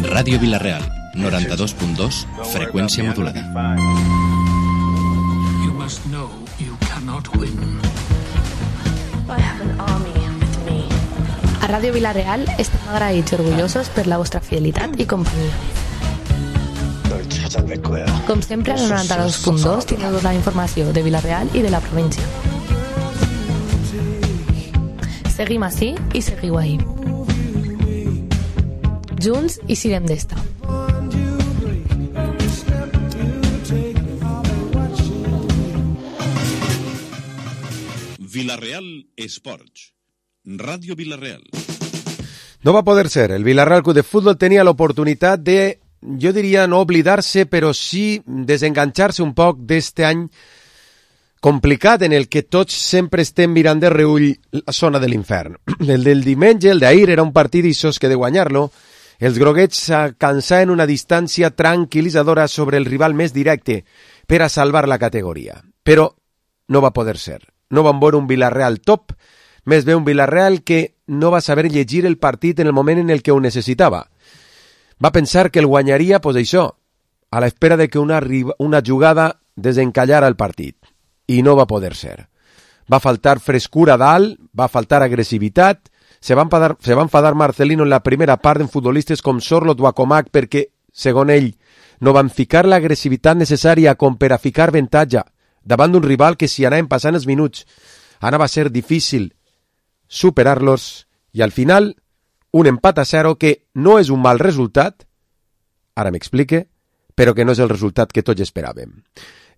Ràdio Vila-real, 92.2, freqüència modulada. You must know you cannot win. I have an army with me. A Ràdio Vila-real estem agraïts i orgullosos per la vostra fidelitat i companyia. Com sempre, al 92.2 tindreu tota la informació de Vila-real i de la província. Seguim ací i seguiu ahí. Junts i sirem d'esta. Vila-real Esports. Radio Vila-real. No va poder ser. El Vila-real Club de Fútbol tenía la oportunidad de, yo diría, no oblidarse, pero sí desengancharse un poc d'este any complicat en el que tots sempre estem mirant de reull la zona de l'infern. El del diumenge, el d'ahir, era un partit d'issos que de guanyar-lo, els groguets alcançaven una distància tranquil·litzadora sobre el rival més directe per a salvar la categoria. Però no va poder ser. No van veure un Vila-real top, més bé un Vila-real que no va saber llegir el partit en el moment en el que ho necessitava. Va pensar que el guanyaria, pues això, a l'espera de que una jugada desencallara el partit. I no va poder ser. Va faltar frescura dalt, va faltar agressivitat, se va enfadar Marcelino en la primera part en futbolistes com Sorlot o Acomac perquè, segons ell, no van ficar l'agressivitat necessària com per a ficar avantatge davant d'un rival que si anaven passant els minuts anava a ser difícil superar-los i al final un empat a 0 que no és un mal resultat, ara m'explique, però que no és el resultat que tots esperàvem.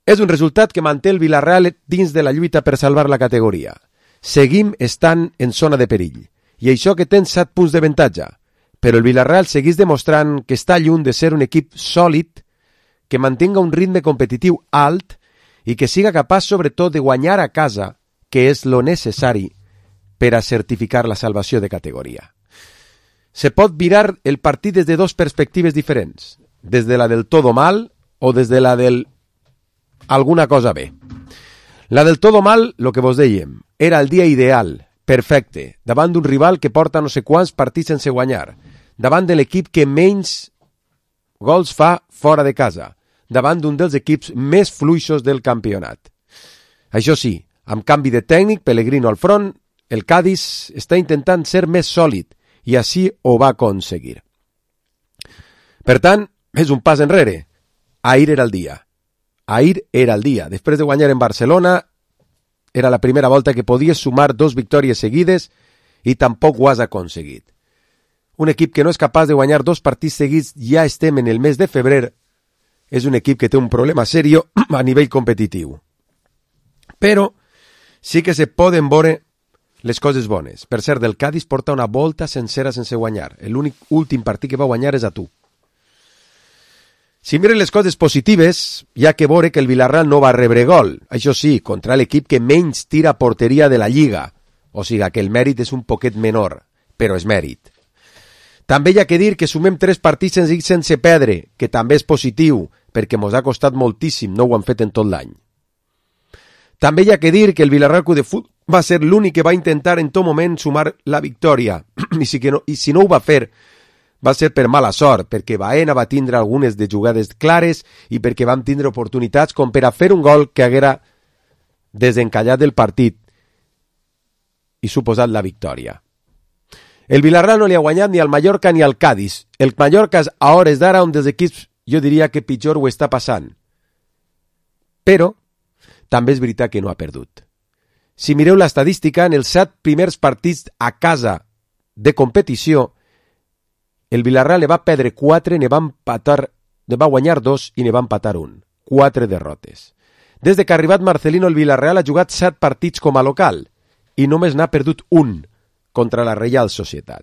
És un resultat que manté el Vila-real dins de la lluita per salvar la categoria. Seguim estant en zona de perill, i això que tens 7 punts d'avantatge, però el Vila-real segueix demostrant que està lluny de ser un equip sòlid, que mantinga un ritme competitiu alt i que siga capaç sobretot de guanyar a casa, que és lo necessari per a certificar la salvació de categoria. Se pot mirar el partit des de dues perspectives diferents, des de la del todo mal o des de la del alguna cosa bé. La del todo mal, lo que vos dèiem, era el dia ideal, perfecte, davant d'un rival que porta no sé quants partits sense guanyar, davant de l'equip que menys gols fa fora de casa, davant d'un dels equips més fluixos del campionat. Això sí, amb canvi de tècnic, Pellegrino al front, el Cádiz està intentant ser més sòlid i així ho va aconseguir. Per tant, és un pas enrere. Ahir era el dia. Ahir era el dia. Després de guanyar en Barcelona, era la primera volta que podies sumar 2 victòries seguides i tampoc ho has aconseguit. Un equip que no és capaç de guanyar 2 partits seguits, ja estem en el mes de febrer, és un equip que té un problema serio a nivell competitiu. Però sí que se poden veure les coses bones. Per cert, el Cádiz porta una volta sencera sense guanyar. L'únic últim partit que va guanyar és a tu. Si miren les coses positives, hi ha que veure que el Vila-real no va rebre gol. Això sí, contra l'equip que menys tira a porteria de la Lliga. O sigui que el mèrit és un poquet menor, però és mèrit. També hi ha que dir que sumem 3 partits sense perdre, que també és positiu, perquè mos ha costat moltíssim, no ho han fet en tot l'any. També hi ha que dir que el Vila-real Club de Futbol va ser l'únic que va intentar en tot moment sumar la victòria, i si no ho va fer, va ser per mala sort, perquè Baena va tindre algunes de jugades clares i perquè vam tindre oportunitats com per a fer un gol que haguera desencallat el partit i suposat la victòria. El Vila-real no li ha guanyat ni al Mallorca ni al Cádiz. El Mallorca és a hores d'ara un dels equips, jo diria que pitjor ho està passant. Però també és veritat que no ha perdut. Si mireu l'estadística, en els 7 primers partits a casa de competició, el Vila-real ne va perdre 4, ne va guanyar 2 i ne va empatar 1. 4 derrotes. Des de que ha arribat Marcelino, el Vila-real ha jugat 7 partits com a local i només n'ha perdut 1 contra la Reial Societat.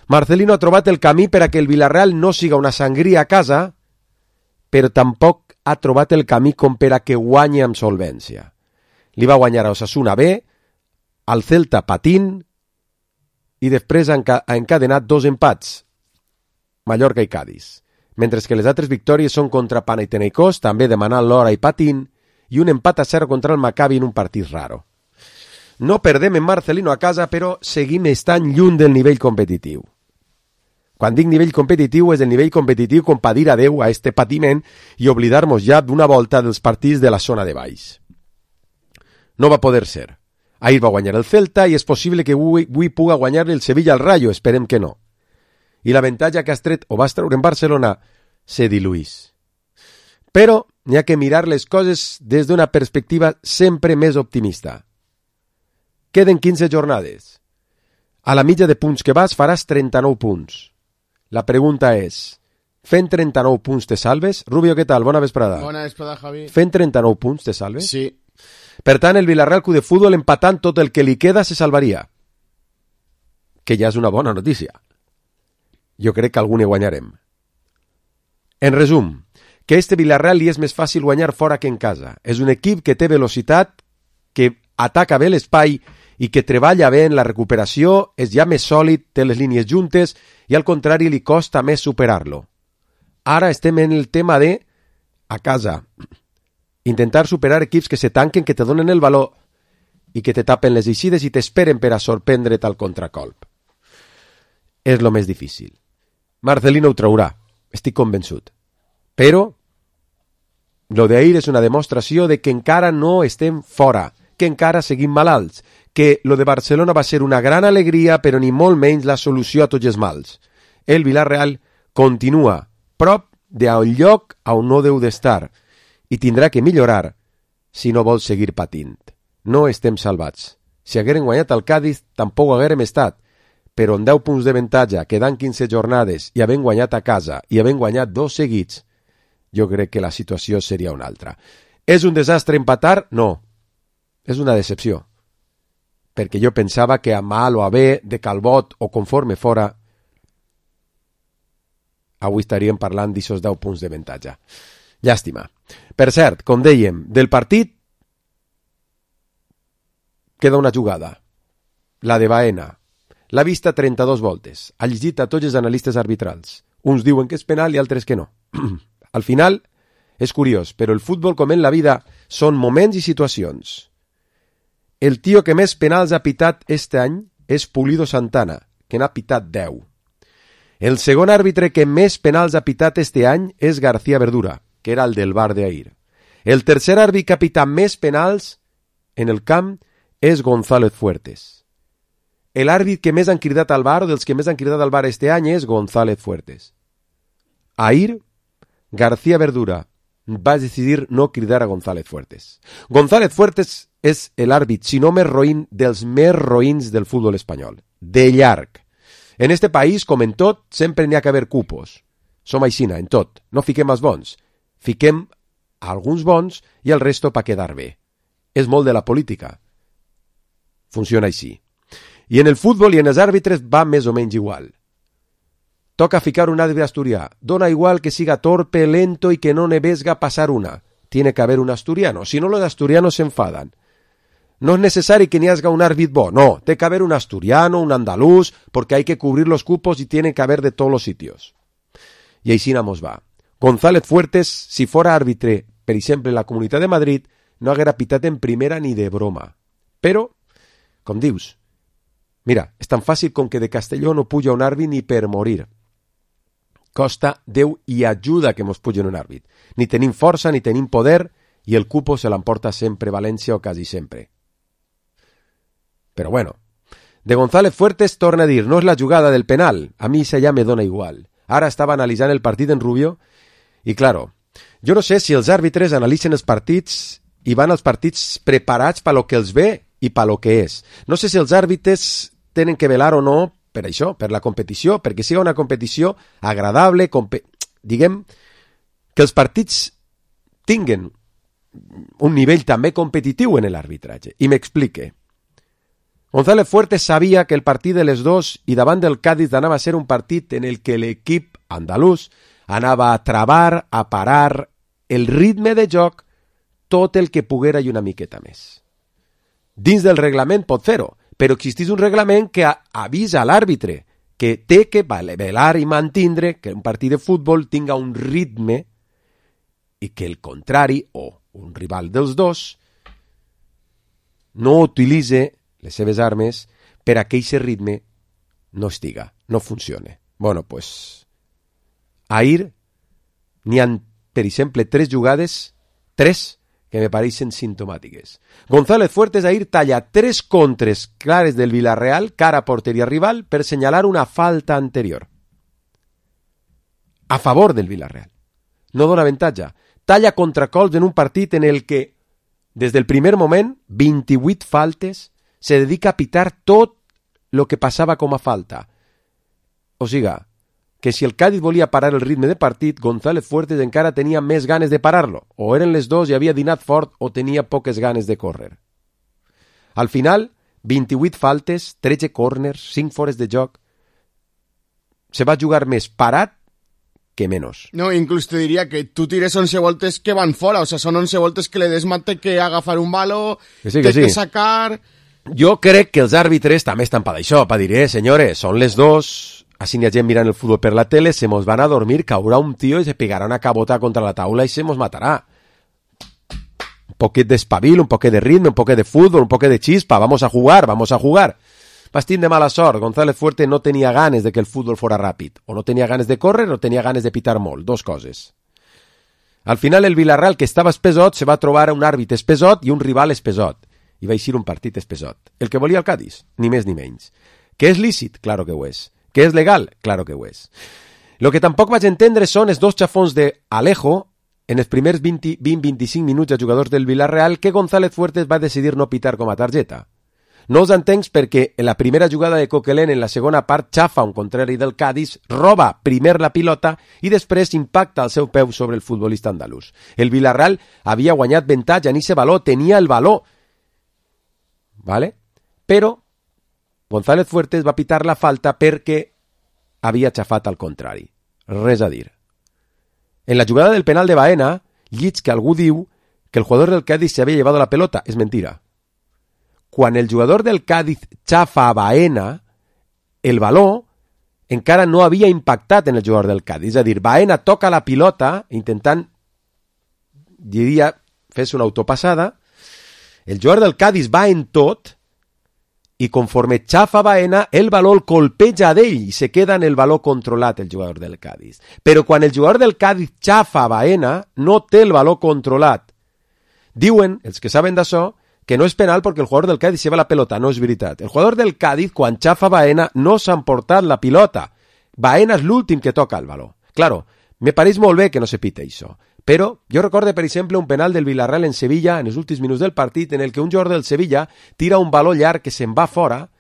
Marcelino ha trobat el camí per a que el Vila-real no siga una sangria a casa, però tampoc ha trobat el camí com per a que guanyi amb solvència. Li va guanyar a Osasuna B, al Celta patint i després ha encadenat 2 empats, Mallorca i Cádiz, mentre que les altres victòries són contra Panathinaikos, també demanant l'hora i patint, i un empat a 0 contra el Maccabi en un partit raro. No perdem en Marcelino a casa, però seguim estant lluny del nivell competitiu. Quan dic nivell competitiu, és el nivell competitiu com per dir adeu a este patiment i oblidar-nos ja d'una volta dels partits de la zona de baix. No va poder ser. Ahir va guanyar el Celta i és possible que avui puga guanyar el Sevilla al Rayo, esperem que no. I l'avantatge que has tret o vas treure en Barcelona se diluís. Però n'hi ha que mirar les coses des d'una perspectiva sempre més optimista. Queden 15 jornades. A la mitja de punts que vas faràs 39 punts. La pregunta és, fent 39 punts te salves? Rubio, què tal? Bona vesprada. Bona vesprada, Javi. Fent 39 punts te salves? Sí. Per tant, el Villarreal Club de Futbol empatant tot el que li queda se salvaria. Que ja és una bona notícia. Jo crec que algun hi guanyarem. En resum, que este Villarreal li és més fàcil guanyar fora que en casa. És un equip que té velocitat, que ataca bé l'espai i que treballa bé en la recuperació, és ja més sòlid, té les línies juntes i al contrari li costa més superar-lo. Ara estem en el tema de, a casa, intentar superar equips que se tanquen, que te donen el valor i que te tapen les eixides i t'esperen per a sorprendre't al contracolp. És lo més difícil. Marcelino ho traurà, estic convençut. Però lo d'ahir és una demostració de que encara no estem fora, que encara seguim malalts, que lo de Barcelona va ser una gran alegria, però ni molt menys la solució a tots els mals. El Villarreal continua prop d'un lloc on no deu d'estar i tindrà que millorar si no vol seguir patint. No estem salvats. Si hagueren guanyat el Cádiz, tampoc haguérem estat, però amb 10 punts d'avantatge, quedant 15 jornades i havent guanyat a casa i havent guanyat 2 seguits, jo crec que la situació seria una altra. És un desastre empatar? No. És una decepció. Perquè jo pensava que a mal o a bé, de Calbot o conforme fora, avui estaríem parlant d'aixòs 10 punts d'avantatge. Llàstima. Per cert, com dèiem, del partit queda una jugada. La de Baena. L'ha vista 32 voltes. Ha llegit a tots els analistes arbitrals. Uns diuen que és penal i altres que no. Al final, és curiós, però el futbol, com en la vida, són moments i situacions. El tio que més penals ha pitat este any és Pulido Santana, que n'ha pitat 10. El segon àrbitre que més penals ha pitat este any és García Verdura, que era el del bar d'ahir. El tercer àrbitre que ha pitat més penals en el camp és González Fuertes. L'àrbit que més han cridat al bar, o dels que més han cridat al bar este any, és González Fuertes. Ahir, García Verdura va decidir no cridar a González Fuertes. González Fuertes és l'àrbit, si no més roïn, dels més roïns del futbol espanyol. De llarg. En este país, com en tot, sempre n'hi ha que haver cupos. Som aixina, en tot. No fiquem els bons. Fiquem alguns bons i el resto pa quedar bé. És molt de la política. Funciona així. I en el futbol i en els àrbitres va més o menys igual. Toca ficar un àrbitre asturià. Dona igual que siga torpe, lento y que no ne vesga pasar una. Tiene que haber un asturiano. Si no, los asturianos se enfadan. No es necesario que ni haya un árbitro bo. No, tiene que haber un asturiano, un andaluz, porque hay que cubrir los cupos y tiene que haber de todos los sitios. Y així nos va. González Fuertes, si fuera árbitro, per exemple, en la Comunitat de Madrid, no haguera pitat en primera ni de broma. Però, com dius, mira, és tan fàcil com que de Castelló no puja un àrbit ni per morir. Costa Déu i ajuda que mos pugen un àrbit. Ni tenim força, ni tenim poder, i el cupo se l'emporta sempre València o quasi sempre. Però bueno, de González Fuertes torna a dir, no és la jugada del penal, a mi això ja me dona igual. Ara estava analitzant el partit en Rubio, i claro, jo no sé si els àrbitres analitzen els partits i van als partits preparats per lo que els ve i per lo que és. No sé si els àrbitres tenen que velar o no per això, per la competició, perquè siga una competició agradable, diguem, que els partits tinguen un nivell també competitiu en l'arbitratge. I m'explique. González Fuertes sabia que el partit de les dos i davant del Cádiz anava a ser un partit en el que l'equip andalús anava a travar, a parar el ritme de joc tot el que poguera i una miqueta més. Dins del reglament pot fer-ho, però existeix un reglament que avisa a l'àrbitre que té que velar i mantindre que un partit de futbol tinga un ritme i que el contrari, o un rival dels dos, no utilitze les seves armes per a que aquest ritme no estiga, no funcione. Bueno, pues ahir n'hi ha, per exemple, 3 jugades, 3, que me pareixen simptomàtiques. González Fuertes ahir talla 3 contres clares del Villarreal cara a porteria rival per senyalar una falta anterior. A favor del Villarreal. No dona avantatge. Talla contracolps en un partit en el que, des del primer moment, 28 faltes, se dedica a pitar tot el que passava com a falta. O sigui, que si el Cádiz volia parar el ritme de partit, González Fuertes encara tenia més ganes de parar-lo. O eren les dos i havia dinat fort o tenia poques ganes de córrer. Al final, 28 faltes, 13 córners, 5 fores de joc. Se va jugar més parat que menos. No, inclús te diria que tu tires 11 voltes que van fora, o sea, són 11 voltes que le desmate que agafar un balo, que sí. que sacar... Jo crec que els àrbitres també estan per això, per dir, senyores, són les 2, així n'hi ha gent mirant el futbol per la tele, se mos van a dormir, caurà un tío y se pegarà una cabota contra la taula y se mos matará. Un poquet d'espavil, un poquet de ritme, un poquet de fútbol, un poquet de chispa, vamos a jugar. Bastín de mala sort, González Fuertes no tenia ganes de que el futbol fora ràpid, o no tenia ganes de córrer o tenia ganes de pitar molt, 2 coses. Al final el Villarreal, que estava espesot, se va trobar un àrbit espesot i un rival espesot, i va eixir un partit espesot. El que volia el Cádiz, ni més ni menys. Que és lícit? Claro que ho és. Que és legal? Claro que ho és. Lo que tampoc vaig entendre són els 2 xafons d'Alejo en els primers 20-25 minuts a jugadors del Villarreal que González Fuertes va decidir no pitar com a targeta. No us entenc perquè en la primera jugada de Coquelin en la segona part xafa un contrari del Cádiz, roba primer la pilota i després impacta el seu peu sobre el futbolista andalús. El Villarreal havia guanyat avantatge en ese baló, tenia el baló, ¿vale? Però González Fuertes va pitar la falta perquè havia xafat al contrari. Res a dir. En la jugada del penal de Baena, llits que algú diu que el jugador del Cádiz se había llevado la pelota. És mentira. Quan el jugador del Cádiz xafa a Baena, el baló encara no havia impactat en el jugador del Cádiz. És a dir, Baena toca la pilota intentant, diria, fer-se una autopassada. El jugador del Cádiz va en tot i conforme xafa Baena, el baló el colpeja d'ell i se queda en el baló controlat el jugador del Cádiz. Però quan el jugador del Cádiz xafa Baena, no té el baló controlat. Diuen, els que saben d'això, que no és penal perquè el jugador del Cádiz lleva la pelota. No és veritat. El jugador del Cádiz, quan xafa Baena, no s'ha emportat la pilota. Baena és l'últim que toca el baló. Claro, me pareix molt bé que no se pite això. Però jo recordo, per exemple, un penal del Villarreal en Sevilla en els últims minuts del partit en el que un jugador del Sevilla tira un baló llarg que se'n va fora,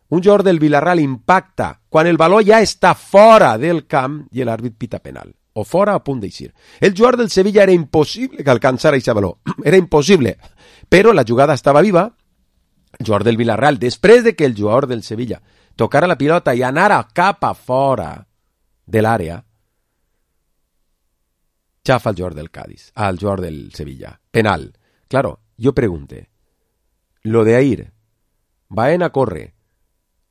un jugador del Villarreal impacta quan el baló ja està fora del camp i l'àrbit pita penal. O fora a punt d'eixir. El jugador del Sevilla era impossible que alcançara aquest baló. Era impossible. Però la jugada estava viva. El jugador del Villarreal, després de que el jugador del Sevilla tocara la pilota i anara cap a fora de l'àrea, chafa al jugador del Cádiz, al jugador del Sevilla. Penal. Claro, yo pregunte, lo de ahir, Baena corre,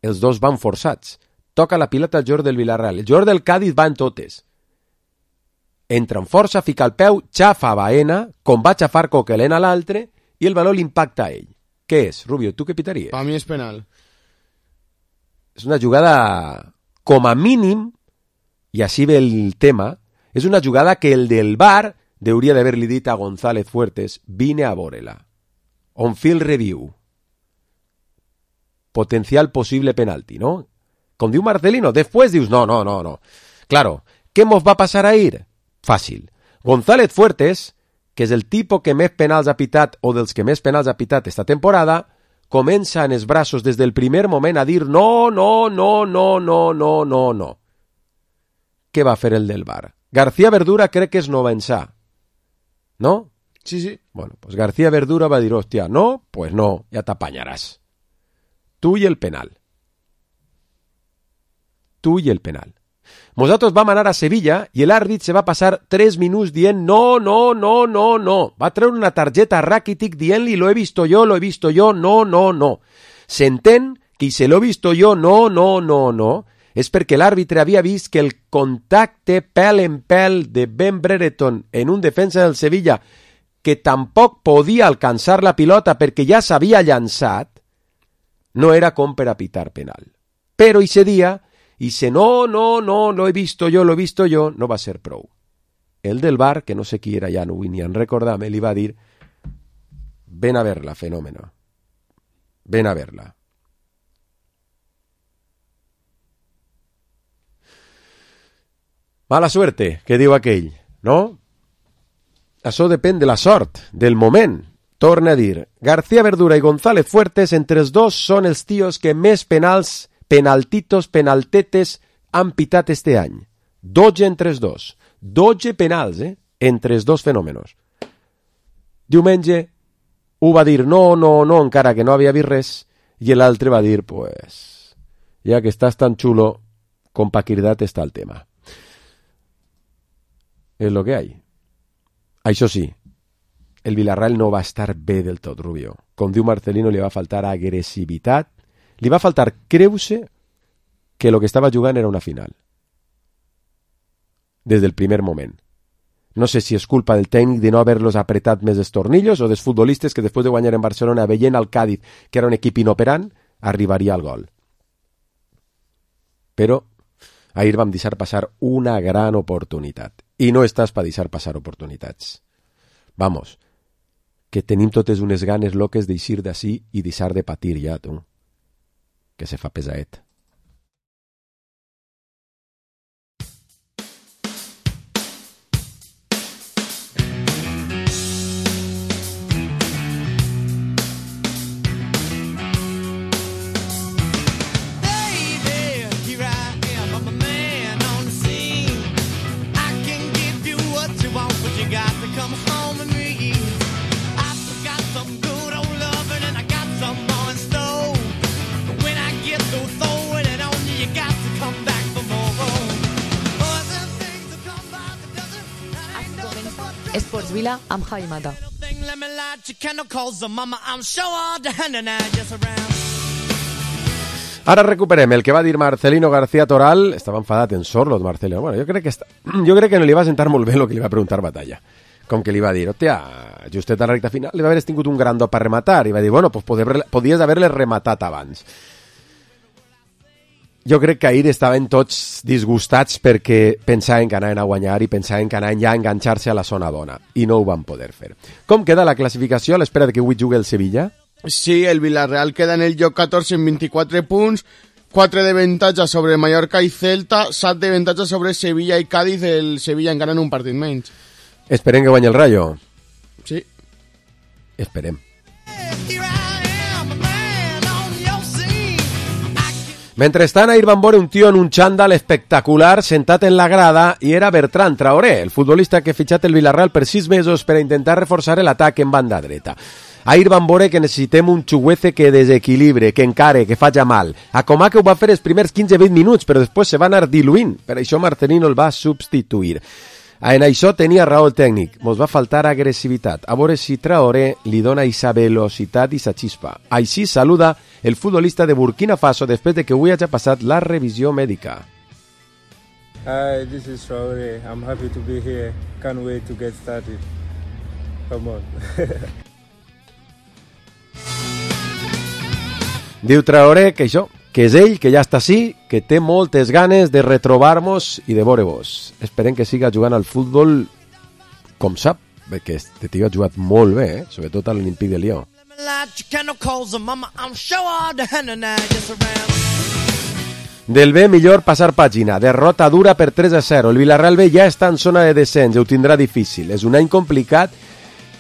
els dos van forçats, toca la pilota al jugador del Villarreal, el jugador del Cádiz va en totes. Entra en força, fica el peu, xafa a Baena, com va xafar Coquelin a l'altre, i el baló l'impacta a ell. Què és, Rubio? Tu què pitaries? Per mi és penal. És una jugada, com a mínim, i així ve el tema, és una jugada que el del VAR hauria d'haver-li dit a González Fuertes, vine a veure-la. On field review. Potencial possible penalti, ¿no? Com diu Marcelino, després dius, no. Claro, què mos va passar ahir? Fàcil. González Fuertes, que és el tipus que més penals ha pitat o dels que més penals ha pitat esta temporada, comença en els braços des del primer moment a dir no. Què va fer el del VAR? García Verdura crec que és novençà. ¿No? Sí. Bueno, pues García Verdura va dir, hòstia, no, pues no, ja t'apanyaràs. Tu i el penal. Nosaltres vam anar a Sevilla i l'àrbit se va passar 3 minuts dient no. Va treure una targeta a Rakitic dient-li lo he visto yo, no. S'entén que si lo he visto yo, no, és perquè l'àrbitre havia vist que el contacte pèl en pèl de Ben Brereton en un defensa del Sevilla que tampoc podia alcançar la pilota perquè ja s'havia llançat, no era com per a pitar penal. Però ese dia i se no, lo he visto jo, no va ser prou. El del bar, que no sé qui era ja, no vull ni en recordar-me, li va dir: ven a verla, fenómeno. Ven a verla. Mala suerte, que diu aquell, no? Això depèn de la sort, del moment. Torna a dir: García Verdura i González Fuertes, entre els dos, són els tios que més penaltetes han pitat este any. 12 entre els dos. 12 penals, entre els dos fenòmenos. Diumenge ho va dir no, encara que no havia vist res, i l'altre va dir, pues, ja que estàs tan xulo, con paquirdat està el tema. És lo que hay. Això sí, el Villarreal no va estar bé del tot, Rubio. Com diu Marcelino, li va faltar agressivitat, li va faltar creure que el que estava jugant era una final. Des del primer moment. No sé si és culpa del tècnic de no haver-los apretat més els tornillos o dels futbolistes que després de guanyar en Barcelona veient al Cádiz, que era un equip inoperant, arribaria al gol. Però ahir vam deixar passar una gran oportunitat. I no estàs per deixar passar oportunitats. Vamos, que tenim totes unes ganes loques d'eixir d'ací i deixar de patir ja, tu. Que se fa pesaet. Esports Vila amb Javi Mata. Ara recuperem el que va dir Marcelino García Toral. Estava enfadat en Sorlot, Marcelino. Bueno, jo crec que no li va sentar molt bé el que li va preguntar Batalla. Com que li va dir, hòstia, justet a la recta final, li va haver tingut un gran do per rematar. I va dir, bueno, pues podies haver-le rematat abans. Jo crec que ahir estaven tots disgustats perquè pensaven que anaven a guanyar i pensaven que anaven ja a enganxar-se a la zona dona. I no ho van poder fer. Com queda la classificació a l'espera de que avui jugui el Sevilla? Sí, el Villarreal queda en el lloc 14 amb 24 punts, 4 d'avantatge sobre Mallorca i Celta, 7 d'avantatge sobre Sevilla i Cádiz, el Sevilla encara en un partit menys. Esperem que guanyi el Rayo. Sí. Esperem. Mentrestant, ahir van veure un tio en un xandall espectacular sentat en la grada i era Bertran Traoré, el futbolista que ha fitxat el Villarreal per 6 mesos per a intentar reforçar l'atac en banda dreta. Ahir van veure que necessitem un xuguece que desequilibre, que encare, que faci mal. A Comà que ho va fer els primers 15-20 minuts, però després se va anar diluint. Per això Marcelino el va substituir. En això tenia raó el tècnic. Mos va faltar agressivitat. A veure si Traoré li dona esa velocitat i esa xispa. Així saluda el futbolista de Burkina Faso després de que avui hagi passat la revisió mèdica. Hi, this is Traoré. I'm happy to be here. Can't wait to get started. Come on. Diu Traoré que això, que és ell, que ja està així, que té moltes ganes de retrobar-nos i de veure-vos. Esperem que siga jugant al futbol com sap, perquè este tio ha jugat molt bé, sobretot a l'Olympique de Lyon. Del B, millor passar pàgina. Derrota dura per 3-0. El Villarreal B ja està en zona de descens, ho tindrà difícil. És un any complicat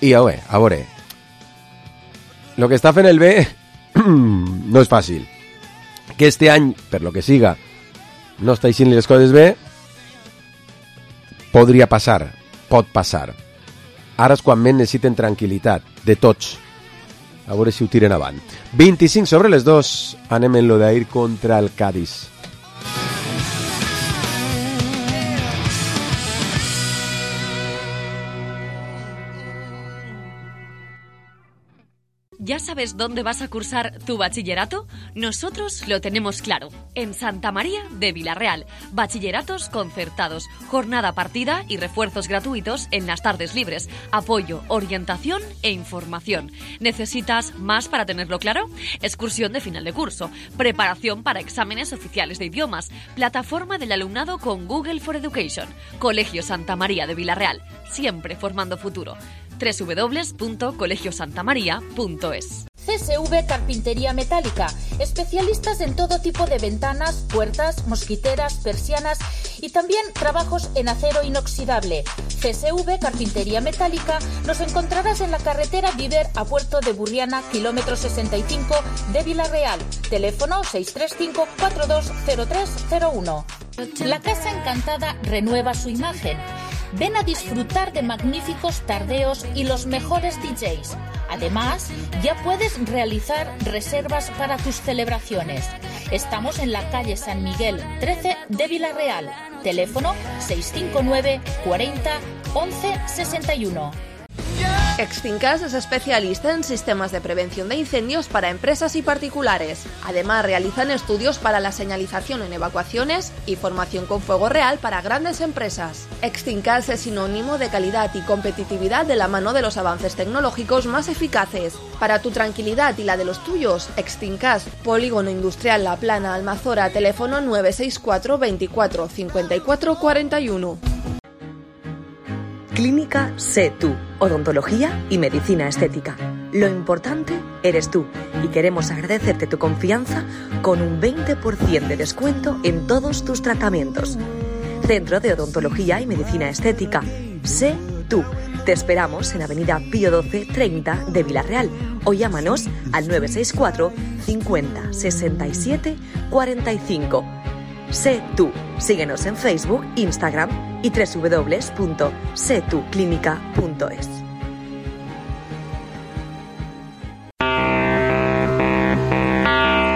i a veure, el que està fent el B no és fàcil. Que este any, per lo que siga, no està eixint les coses bé, podria passar, pot passar. Ara és quan més necessiten tranquil·litat, de tots. A veure si ho tiren avant. 25 sobre les 2, anem en lo d'ahir contra el Cádiz. ¿Ya sabes dónde vas a cursar tu bachillerato? Nosotros lo tenemos claro. En Santa María de Vilarreal. Bachilleratos concertados, jornada partida y refuerzos gratuitos en las tardes libres. Apoyo, orientación e información. ¿Necesitas más para tenerlo claro? Excursión de final de curso. Preparación para exámenes oficiales de idiomas. Plataforma del alumnado con Google for Education. Colegio Santa María de Vilarreal. Siempre formando futuro. www.colegiosantamaria.es. CSV Carpintería Metálica, especialistas en todo tipo de ventanas, puertas, mosquiteras, persianas y también trabajos en acero inoxidable. CSV Carpintería Metálica nos encontrarás en la carretera Viver a Puerto de Burriana, kilómetro 65 de Vilarreal. Teléfono 635-420301. La Casa Encantada renueva su imagen. Ven a disfrutar de magníficos tardeos y los mejores DJs. Además, ya puedes realizar reservas para tus celebraciones. Estamos en la calle San Miguel 13 de Vilarreal. Teléfono 659 40 11 61. Extincas es especialista en sistemas de prevención de incendios para empresas y particulares. Además, realizan estudios para la señalización en evacuaciones y formación con fuego real para grandes empresas. Extincas es sinónimo de calidad y competitividad de la mano de los avances tecnológicos más eficaces. Para tu tranquilidad y la de los tuyos, Extincas, Polígono Industrial La Plana, Almazora, teléfono 964 24 54 41. Clínica Sé Tú, odontología y medicina estética. Lo importante eres tú y queremos agradecerte tu confianza con un 20% de descuento en todos tus tratamientos. Centro de Odontología y Medicina Estética. Sé Tú. Te esperamos en Avenida Pío 12 30 de Vilarreal o llámanos al 964 50 67 45. Sé Tú. Síguenos en Facebook, Instagram y www.setuclinica.es.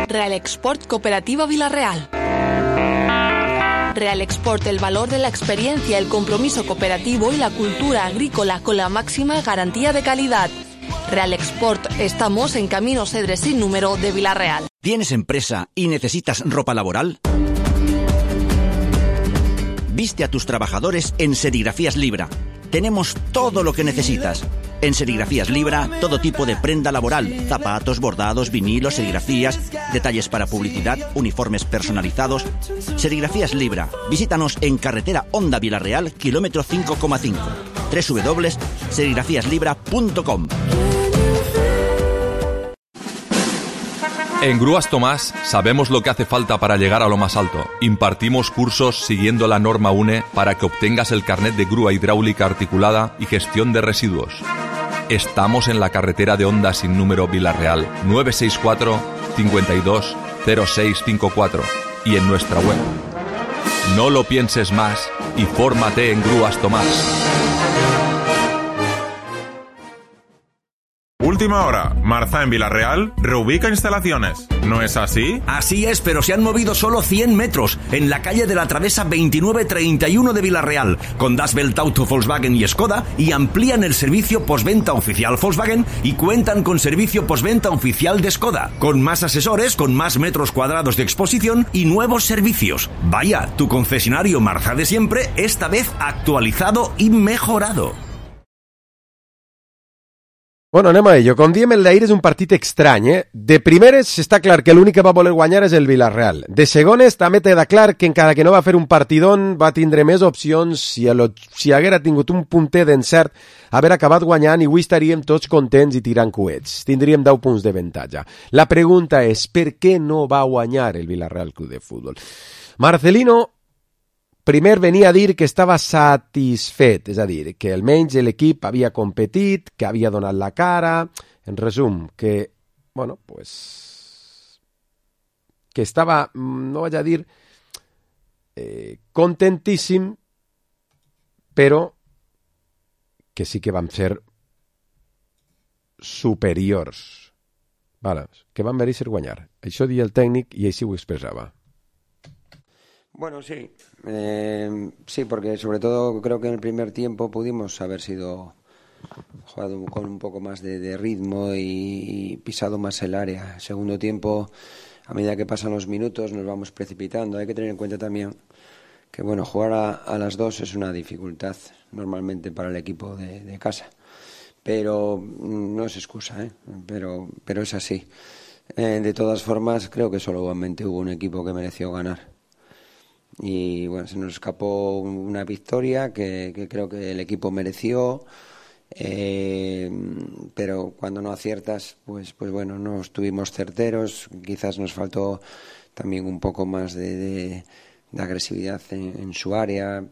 Real Export Cooperativa Vilarreal. Real Export, el valor de la experiencia, el compromiso cooperativo y la cultura agrícola con la máxima garantía de calidad. Real Export, estamos en Camino Cedres sin número de Vilarreal. ¿Tienes empresa y necesitas ropa laboral? Viste a tus trabajadores en Serigrafías Libra. Tenemos todo lo que necesitas. En Serigrafías Libra, todo tipo de prenda laboral, zapatos, bordados, vinilos, serigrafías, detalles para publicidad, uniformes personalizados. Serigrafías Libra. Visítanos en carretera Honda Vilarreal, kilómetro 5,5. www.serigrafíaslibra.com. En Grúas Tomás sabemos lo que hace falta para llegar a lo más alto. Impartimos cursos siguiendo la norma UNE para que obtengas el carnet de grúa hidráulica articulada y gestión de residuos. Estamos en la carretera de Honda sin número Vilarreal, 964 52 0654 y en nuestra web. No lo pienses más y fórmate en Grúas Tomás. Última hora, Marza en Vilarreal reubica instalaciones. ¿No es así? Así es, pero se han movido solo 100 metros en la calle de la Travesa 2931 de Vilarreal, con Das Welt Auto Volkswagen y Skoda, y amplían el servicio postventa oficial Volkswagen y cuentan con servicio postventa oficial de Skoda, con más asesores, con más metros cuadrados de exposición y nuevos servicios. Vaya, tu concesionario Marza de siempre, esta vez actualizado i mejorado. Bueno, anem a ello. Com diem, el d'ahir és un partit estrany, eh? De primeres està clar que l'únic que va voler guanyar és el Villarreal. De segones també queda clar que encara que no va fer un partidón va tindre més opcions si haguera tingut un punter d'encert haver acabat guanyant i avui estaríem tots contents i tirant coets. Tindríem 10 punts de avantatge. La pregunta és per què no va guanyar el Villarreal Club de Futbol? Marcelino primer venia a dir que estava satisfet, és a dir, que almenys l'equip havia competit, que havia donat la cara, en resum, que, bueno, pues, que estava, no vaig a dir, contentíssim, però que sí que vam ser superiors. Vale, que van mereixer guanyar. Això dia el tècnic i així ho expressava. Bueno, sí. Sí, porque sobre todo creo que en el primer tiempo pudimos haber sido jugado con un poco más de ritmo y pisado más el área. Segundo tiempo, a medida que pasan los minutos, nos vamos precipitando. Hay que tener en cuenta también que bueno, jugar a las 2 es una dificultad normalmente para el equipo de casa. Pero no es excusa, pero es así. De todas formas, creo que solamente hubo un equipo que mereció ganar. Y bueno, se nos escapó una victoria que creo que el equipo mereció. Pero cuando no aciertas, pues bueno, no estuvimos certeros. Quizás nos faltó también un poco más de agresividad en su área.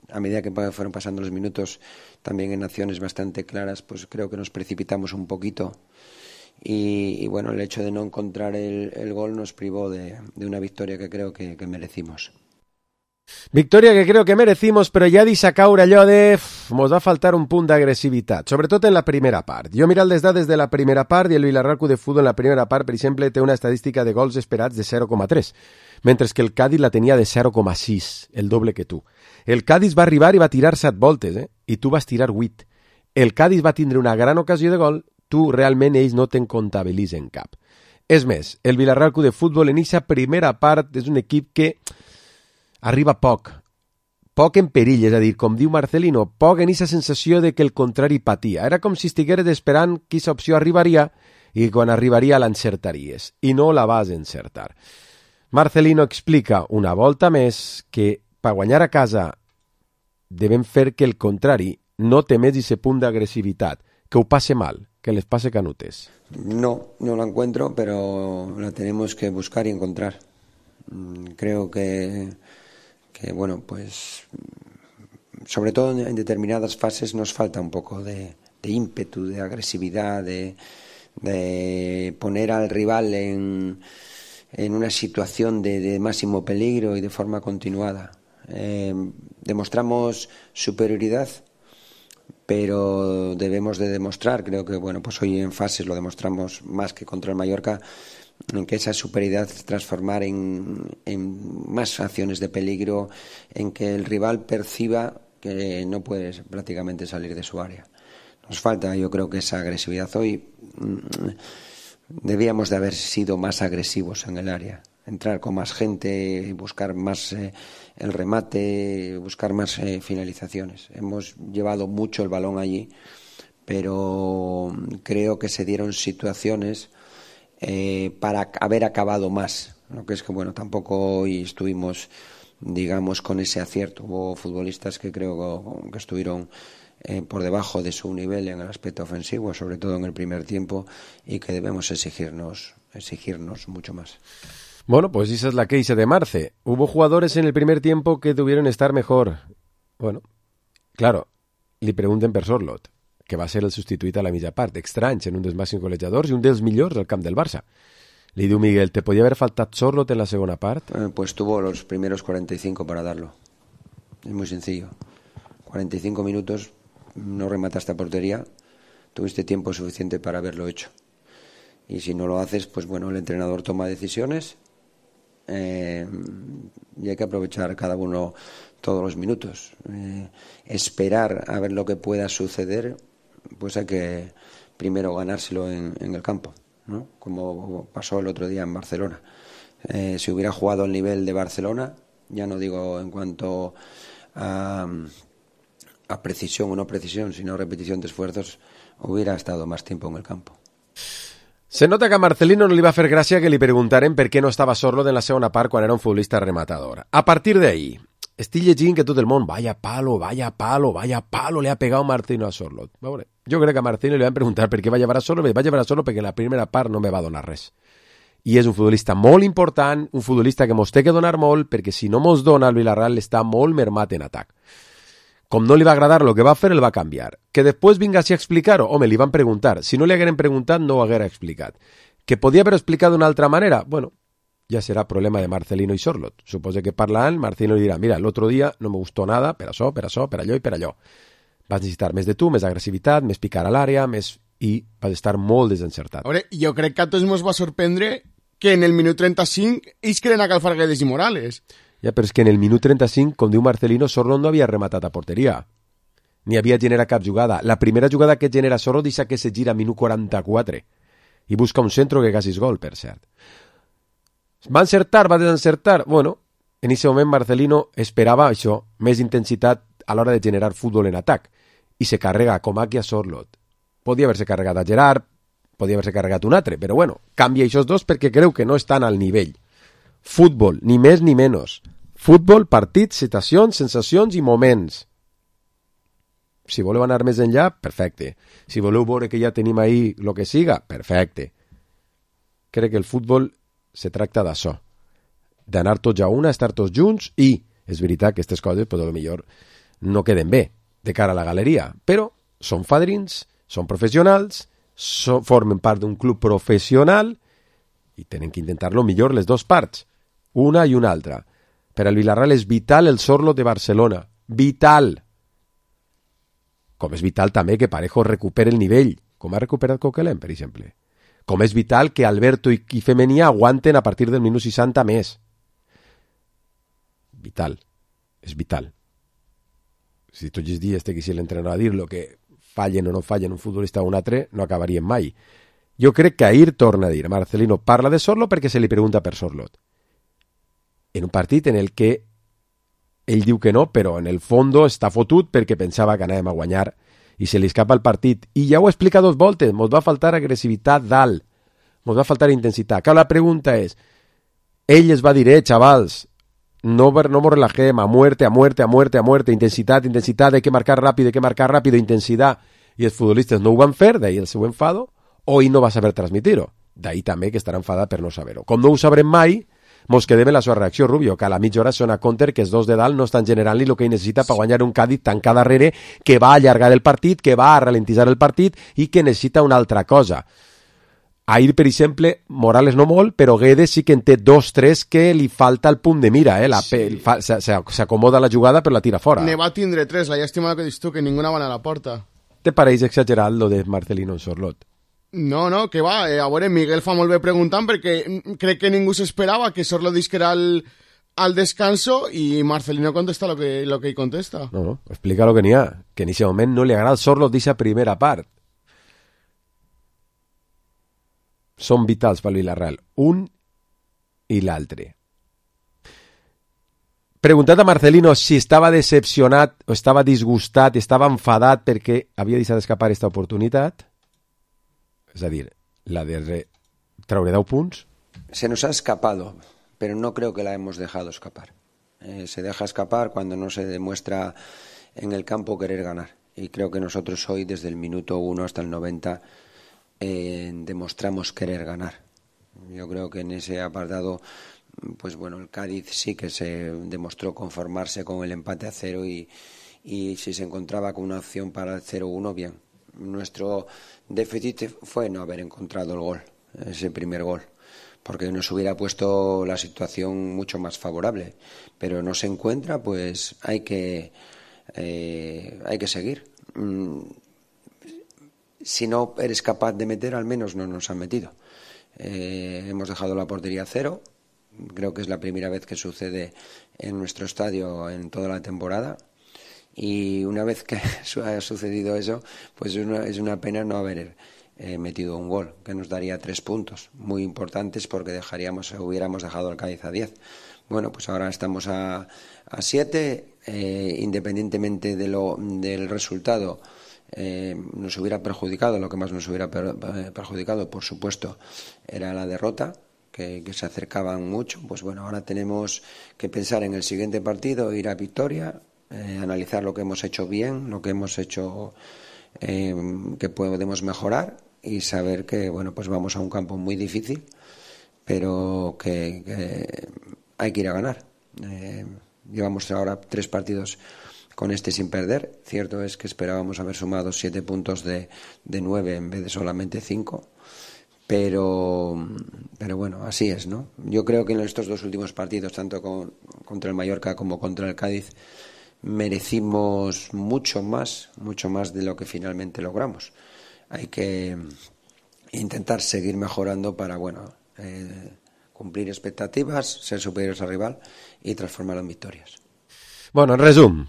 A medida que fueron pasando los minutos, también en acciones bastante claras, pues creo que nos precipitamos un poquito. Y bueno, el hecho de no encontrar el gol nos privó de una victoria que creo que merecimos. Victòria que creo que merecimos, però ja deixa caure allò de... Mos va faltar un punt d'agressivitat, sobretot en la primera part. Jo he mirat les dades de la primera part i el Villarreal Club de Futbol en la primera part, per exemple, té una estadística de gols esperats de 0,3, mentre que el Cádiz la tenia de 0,6, el doble que tu. El Cádiz va arribar i va tirar 7 voltes, i tu vas tirar 8. El Cádiz va tindre una gran ocasió de gol, tu realment ells no te'n comptabilitzen cap. És més, el Villarreal Club de Futbol en aquesta primera part és un equip que arriba poc en perill, és a dir, com diu Marcelino, poc en aquesta sensació de que el contrari patia. Era com si estigueres esperant que aquesta opció arribaria i quan arribaria l'encertaries, i no la vas encertar. Marcelino explica una volta més que per guanyar a casa devem fer que el contrari no té més aquest punt d'agressivitat, que ho passe mal, que les passe canutes. No la encuentro, pero la tenemos que buscar y encontrar. Creo que bueno, pues sobre todo en determinadas fases nos falta un poco de ímpetu, de agresividad, de poner al rival en una situación de máximo peligro y de forma continuada. Demostramos superioridad, pero debemos de demostrar, creo que bueno, pues hoy en fases lo demostramos más que contra el Mallorca, en que esa superioridad transformar en más acciones de peligro, en que el rival perciba que no puede prácticamente salir de su área. Nos falta, yo creo, que esa agresividad. Hoy debíamos de haber sido más agresivos en el área, entrar con más gente, buscar más el remate, buscar más finalizaciones. Hemos llevado mucho el balón allí, pero creo que se dieron situaciones para haber acabado más. Lo que es que bueno, tampoco hoy estuvimos, digamos, con ese acierto. Hubo futbolistas que creo que estuvieron por debajo de su nivel en el aspecto ofensivo, sobre todo en el primer tiempo, y que debemos exigirnos mucho más. Bueno, pues esa es la queixa de Marce. Hubo jugadores en el primer tiempo que debieron estar mejor. Bueno, claro, li pregunten per Sorloth, que va ser el substituït a la mitja part, estranys en un dels màxims golejadors i un dels millors al camp del Barça. Li diu Miguel, ¿te podía haber faltat Sorloth en la segona part? Pues tuvo los primeros 45 para darlo. Es muy sencillo. 45 minutos, no remataste a portería, tuviste tiempo suficiente para haberlo hecho. Y si no lo haces, pues bueno, el entrenador toma decisiones y hay que aprovechar cada uno todos los minutos. Esperar a ver lo que pueda suceder, pues hay que primero ganárselo en el campo, ¿no? Como pasó el otro día en Barcelona. Si hubiera jugado al nivel de Barcelona, ya no digo en cuanto a precisión o no precisión, sino repetición de esfuerzos, hubiera estado más tiempo en el campo. Se nota que a Marcelino no li va fer gràcia que li preguntaren per què no estava Sorloth en la segona part quan era un futbolista rematador. A partir d'ahí, estic llegint que tot el món, vaya palo, le ha pegado Marcelino a Sorloth. Veure, jo crec que a Marcelino li van preguntar per què va llevar a Sorloth, va llevar a Sorloth perquè en la primera part no me va donar res. I és un futbolista molt important, un futbolista que mos té que donar molt, perquè si no mos dona, el Villarreal està molt mermat en atac. Com no li va agradar el que va fer, el va canviar. Que després vinga així a explicar-ho, home, li van preguntar. Si no li hagueren preguntat, no ho haguera explicat. Que podia haver explicat d'una altra manera? Bueno, ja serà problema de Marcelino i Sorloth. Suposo que parlant, Marcelino li dirà, mira, l'altre dia no me gustó nada, per això, per allò i per allò. Vas necessitar més de tu, més agressivitat, més picar a l'àrea, i vas estar molt desencertat. Veure, jo crec que a tots ens va sorprendre que en el minut 35 ells creen a calfar Guedes i Morales. Ja, però és que en el minut 35, com diu Marcelino, Sorloth no havia rematat a porteria. ni havia generat cap jugada. La primera jugada que genera Sorlo deixa que se gira a minut 44 i busca un centro que quasi és gol, per cert. Va encertar, va desencertar? Bueno, en aquest moment Marcelino esperava això, més intensitat a l'hora de generar futbol en atac, i se carrega com aquí a Sorlot. Podia haver-se carregat a Gerard, podia haver-se carregat un altre, però bueno, canvia aquests dos perquè creu que no estan al nivell. Futbol, ni més ni menys. Futbol, partits, situacions, sensacions i moments. Si voleu anar més enllà, perfecte. Si voleu veure que ja tenim ahí el que siga, perfecte. Crec que el futbol se tracta d'això, d'anar tots a una, estar tots junts, i és veritat que aquestes coses, potser millor no queden bé de cara a la galeria, però són fadrins, són professionals, formen part d'un club professional i tenen que intentar-lo millor les dues parts, una i una altra. Per al Villarreal és vital el Sorlo de Barcelona, vital. Com és vital també que Parejo recupere el nivell, com ha recuperat Coquelin, per exemple. Com és vital que Alberto i Femenia aguanten a partir del minut 60 més. Vital. És vital. Si tots els dies t'hagués l'entrenador a dir lo que fallen o no fallen un futbolista o un altre, no acabarien mai. Jo crec que ahir torna a dir, Marcelino parla de Sorlo perquè se li pregunta per Sorlot. En un partit en el que ell diu que no, però en el fondo està fotut perquè pensava que anàvem a guanyar i se li escapa el partit. I ja ho explica dos voltes, mos va faltar agressivitat dalt, mos va faltar intensitat. Clar, la pregunta és, ell es va dir, xavals, no mos relajem, a muerte, intensitat, hay que marcar rápido, intensitat, i els futbolistes no ho van fer, d'ahir el seu enfado, o ell no va saber transmitir-ho, d'ahir també que estarà enfadat per no saber-ho. Com no ho sabrem mai, mos quedem en la seva reacció, Rubio, que a la mitja hora sona Conter que els dos de dalt no estan generant-li el que ell necessita per guanyar un Cádiz tancat darrere, que va allargar el partit, que va a ralentitzar el partit i que necessita una altra cosa. Ahir, per exemple, Morales no molt, però Guedes sí que en té 2-3 que li falta el punt de mira, s'acomoda la jugada però la tira fora. Ne va tindre 3, la llàstima que dius tu, que ninguna va anar a la porta. Te pareix exagerat lo de Marcelino en Sorlot? No, que va, a veure, Miguel fa molt bé preguntant perquè crec que ningú s'esperava que Sorlot disquera al descanso i Marcelino contesta lo que ell contesta. No, explica lo que n'hi ha, que en aquest moment no li agrada el Sorlot d'aquesta primera part. Són vitals pel Villarreal, un i l'altre. Preguntat a Marcelino si estava decepcionat o estava disgustat, estava enfadat perquè havia deixat escapar aquesta oportunitat, és a dir, la de traure 10 punts. Se nos ha escapado, pero no creo que la hemos dejado escapar. Se deja escapar cuando no se demuestra en el campo querer ganar. Y creo que nosotros hoy, desde el minuto 1 hasta el 90, demostramos querer ganar. Yo creo que en ese apartado, pues bueno, el Cádiz sí que se demostró conformarse con el empate a 0 y si se encontraba con una opción para el 0-1, bien. Nuestro déficit fue no haber encontrado el gol, ese primer gol, porque nos hubiera puesto la situación mucho más favorable, pero no se encuentra, pues hay que seguir. Si no eres capaz de meter, al menos no nos han metido. Hemos dejado la portería a 0, creo que es la primera vez que sucede en nuestro estadio en toda la temporada. Y una vez que ha sucedido eso, pues es una pena no haber metido un gol, que nos daría 3 puntos, muy importantes porque hubiéramos dejado al Cádiz a 10. Bueno, pues ahora estamos a 7, independientemente del resultado, nos hubiera perjudicado, lo que más nos hubiera perjudicado, por supuesto, era la derrota, que se acercaban mucho. Pues bueno, ahora tenemos que pensar en el siguiente partido, ir a victoria, analizar lo que hemos hecho bien, lo que hemos hecho que podemos mejorar y saber que bueno, pues vamos a un campo muy difícil, pero que hay que ir a ganar. Llevamos ahora 3 partidos con este sin perder. Cierto es que esperábamos haber sumado 7 puntos de 9 en vez de solamente 5. Pero bueno, así es, ¿no? Yo creo que en estos 2 últimos partidos, tanto contra el Mallorca como contra el Cádiz, merecimos mucho más de lo que finalmente logramos. Hay que intentar seguir mejorando para, bueno, cumplir expectativas, ser superiores al rival y transformarlo en victorias. Bueno, en resum,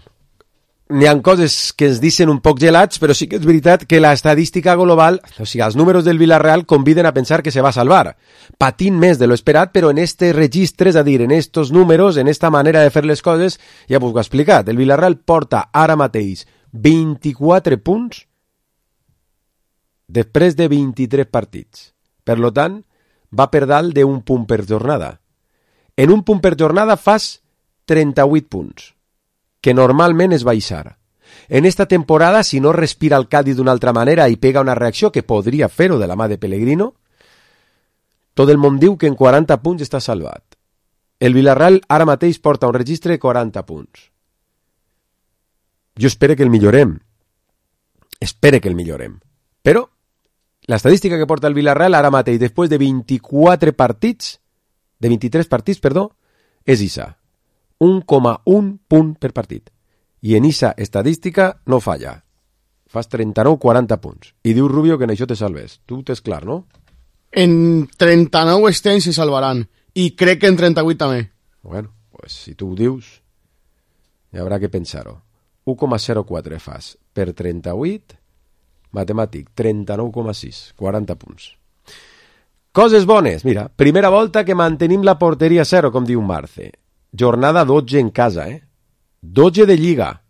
n'hi ha coses que ens dicen un poc gelats, però sí que és veritat que l'estadística global, o sigui, els números del Villarreal conviden a pensar que se va salvar. Patint més de lo esperat, però en este registre, és a dir, en estos números, en esta manera de fer les coses, ja us ho he explicat. El Villarreal porta ara mateix 24 punts després de 23 partits. Per lo tant, va per dalt d'un punt per jornada. En un punt per jornada fas 38 punts, que normalment és baixar. En esta temporada, si no respira el Cádiz d'una altra manera i pega una reacció que podria fer-ho de la mà de Pellegrino, tot el món diu que en 40 punts està salvat. El Villarreal ara mateix porta un registre de 40 punts. Jo espero que el millorem. Però l'estadística que porta el Villarreal ara mateix, després de 23 partits, és Isa. 1,1 punt per partit. I en Isa estadística no falla. Fas 39-40 punts. I diu Rubio que en això te salves. Tu t'és clar, no? En 39 estem se salvaran. I crec que en 38 també. Bueno, pues si tu ho dius, hi haurà que pensar-ho. 1,04 fas per 38, matemàtic, 39,6, 40 punts. Coses bones, mira, primera volta que mantenim la porteria a 0, com diu Marce. Jornada 12 en casa, 12 de Lliga,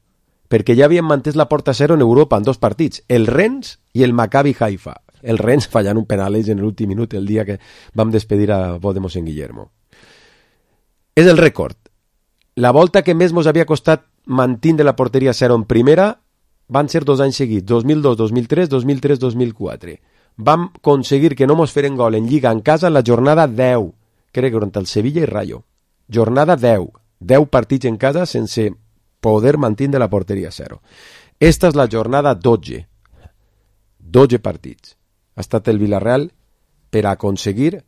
perquè ja havien mantès la porta a 0 en Europa en 2 partits, el Rennes i el Maccabi Haifa. El Rennes fallant un penal en l'últim minut el dia que vam despedir a Vodemos en Guillermo. És el rècord. La volta que més mos havia costat mantindre la porteria a 0 en primera van ser 2 anys seguits, 2002-2003, 2003-2004. Vam aconseguir que no mos feren gol en Lliga en casa en la jornada 10, crec que contra el Sevilla i Rayo. Jornada 10, 10 partits en casa sense poder mantindre la porteria a 0. Esta és la jornada 12. 12 partits. Ha estat el Villarreal per aconseguir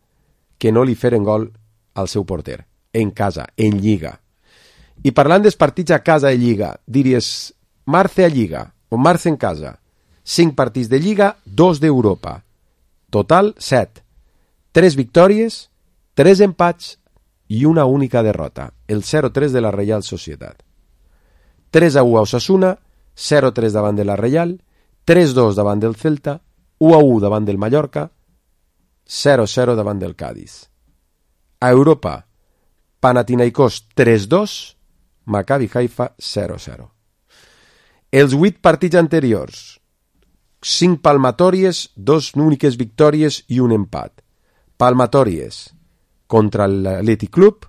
que no li feren gol al seu porter. En casa, en Lliga. I parlant dels partits a casa de Lliga, diries Marce a Lliga o Marce en casa. 5 partits de Lliga, 2 d'Europa. Total, 7. 3 victòries, 3 empats i una única derrota, el 0-3 de la Reial Societat. 3-1 a Osasuna, 0-3 davant de la Reial, 3-2 davant del Celta, 1-1 davant del Mallorca, 0-0 davant del Cádiz. A Europa, Panathinaikos 3-2, Maccabi Haifa 0-0. Els 8 partits anteriors, 5 palmatòries, 2 úniques victòries i un empat. Palmatòries contra l'Athletic Club,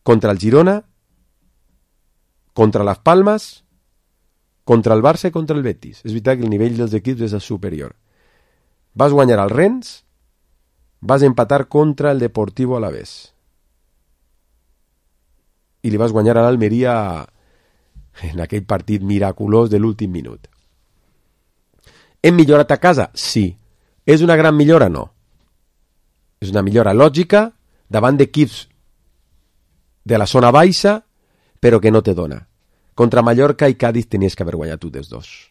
contra el Girona, contra Las Palmas, contra el Barça i contra el Betis. És veritat que el nivell dels equips és superior. Vas guanyar al Rennes, vas empatar contra el Deportivo Alavés i li vas guanyar a l'Almeria en aquell partit miraculós de l'últim minut. Hem millorat a casa? Sí. És una gran millora? No. És una millora lògica davant d'equips de la zona baixa, però que no te dona. Contra Mallorca i Cádiz tenies que haver guanyat tu dels dos.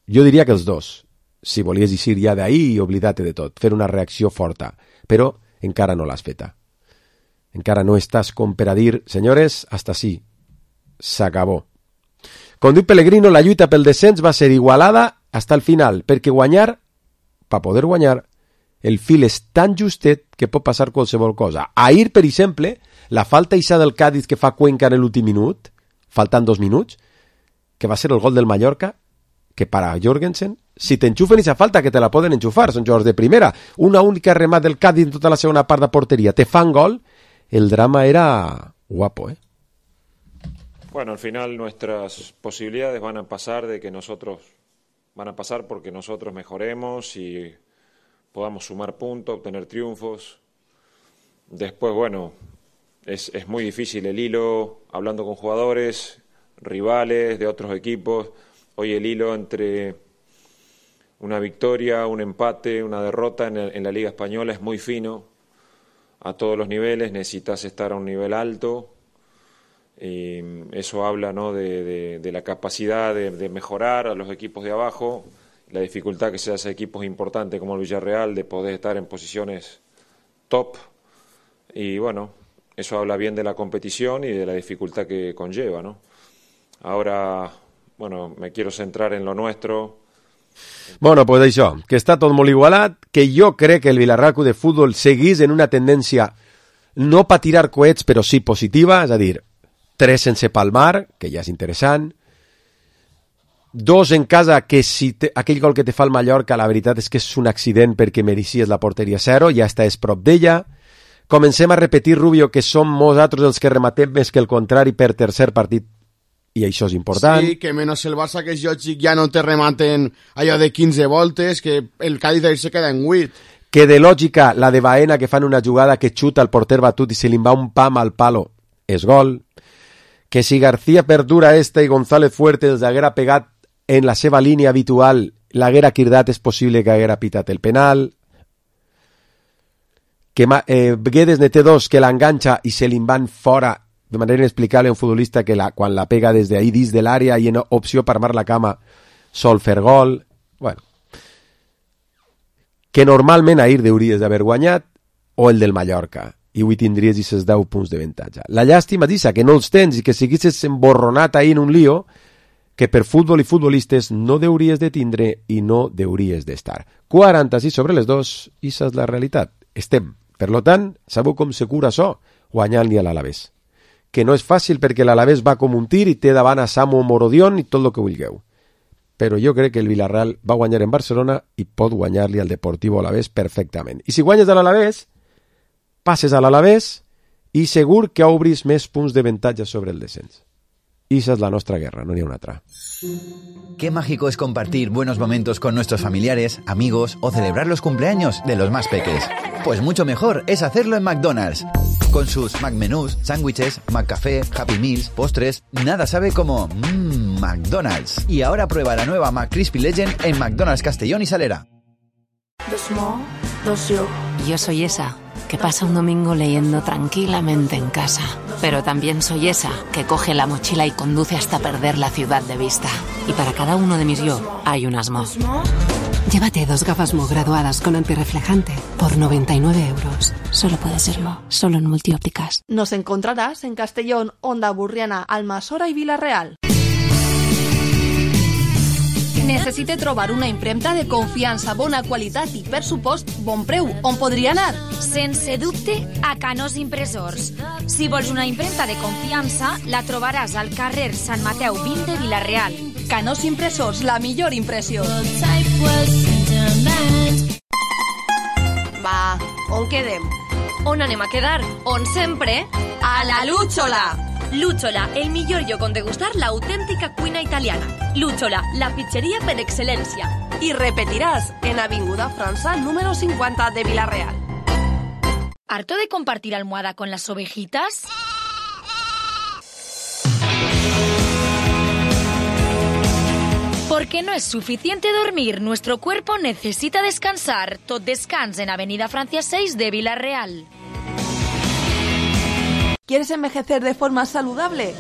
Jo diria que els dos, si volies eixir ja d'ahir i oblidar-te de tot, fer una reacció forta, però encara no l'has feta. Encara no estàs com per a dir, senyores, hasta sí, s'acabó. Com diu Pellegrino, la lluita pel descens va ser igualada fins al final, perquè guanyar, per poder guanyar, el fil és tan justet que pot passar qualsevol cosa. Ahir, per exemple, la falta ixa del Cádiz que fa Cuenca en l'últim minut, faltant 2 minuts, que va ser el gol del Mallorca, que para Jorgensen, si t'enxufen esa falta, que te la poden enxufar, són jugadors de primera, una única remat del Cádiz en tota la segona part de porteria, te fan gol, el drama era guapo, Bueno, al final nuestras posibilidades van a pasar porque nosotros mejoremos y podamos sumar puntos, obtener triunfos. Después, bueno, es muy difícil el hilo, hablando con jugadores, rivales de otros equipos. Hoy el hilo entre una victoria, un empate, una derrota en la Liga Española es muy fino. A todos los niveles necesitas estar a un nivel alto. Y eso habla, ¿no?, de la capacidad de mejorar a los equipos de abajo, la dificultad que se hace a equipos importantes como el Villarreal de poder estar en posiciones top. Y bueno, eso habla bien de la competición y de la dificultad que conlleva, ¿no? Ahora, bueno, me quiero centrar en lo nuestro. Bueno, pues això, que està tot molt igualat, que jo crec que el Villarreal Club de Futbol seguís en una tendència no per tirar coets, però sí positiva, és a dir, 3 sense palmar, que ja és interessant, 2 en casa, que si aquell gol que te fa el Mallorca, la veritat és que és un accident perquè merecies la porteria 0, ja estàs prop d'ella. Comencem a repetir, Rubio, que som nosaltres els que rematem més que el contrari per tercer partit, i això és important. Sí, que menys el Barça, que és lògic, ja no te rematen allò de 15 voltes, que el Cádiz se queda en 8. Que de lògica, la de Baena, que fan una jugada que xuta el porter batut i se li va un pam al palo, és gol. Que si García perdura esta i González Fuerte els haguera pegat en la seva línia habitual, l'haguera cridat, és possible que haguera pitat el penal. Que Guedes ne té 2, que l'enganxa i se li van fora de manera inexplicable a un futbolista que quan la pega des d'ahí dins de l'àrea i en opció per armar la cama sol fer gol. Bueno, que normalment ahir hauries d'haver guanyat, o el del Mallorca, i avui tindries aquests 10 punts de avantatge. La llàstima és que no els tens i que siguissis emborronat ahir en un lío que per futbol i futbolistes no hauries de tindre i no hauries d'estar. 46 sobre les 2, i això és la realitat. Estem. Per tant, sabeu com se cura això? Guanyant-li a l'Alavés. Que no és fàcil perquè l'Alavés va com un tir i té davant a Samu Morodion i tot el que vulgueu. Però jo crec que el Villarreal va guanyar en Barcelona i pot guanyar-li al Deportivo Alavés perfectament. I si guanyes a l'Alavés, passes a l'Alavés i segur que obris més punts d'avantatge sobre el descens. Y esa es la nuestra guerra, no ni una otra. Qué mágico es compartir buenos momentos con nuestros familiares, amigos o celebrar los cumpleaños de los más peques. Pues mucho mejor es hacerlo en McDonald's. Con sus McMenús, sándwiches, McCafé, Happy Meals, postres, nada sabe como McDonald's. Y ahora prueba la nueva McCrispy Legend en McDonald's Castellón y Salera. Yo soy esa que pasa un domingo leyendo tranquilamente en casa. Pero también soy esa que coge la mochila y conduce hasta perder la ciudad de vista. Y para cada uno de mis yo hay un Mo. Llévate 2 gafas Mo graduadas con antirreflejante por 99 euros. Solo puede ser Mo, solo en Multiópticas. Nos encontrarás en Castellón, Onda Burriana, Almassora i Vila-real. Necessite trobar una impremta de confiança, bona qualitat i, per supost, bon preu. On podria anar? Sense dubte, a Canós Impressors. Si vols una impremta de confiança, la trobaràs al carrer Sant Mateu 20 de Vila-real. Canós Impressors, la millor impressió. Va, on quedem? On anem a quedar? On sempre? A la Lúchola! Lúchola, el millor lloc on degustar l'autèntica cuina italiana. Lúchola, la pizzeria per excel·lència. I repetiràs en Avinguda França, número 50 de Vila-real. ¿Harto de compartir almohada con las ovejitas? Porque no es suficiente dormir, nuestro cuerpo necesita descansar. Tot descans en Avenida Francia 6 de Vila-real. ¿Quieres envejecer de forma saludable?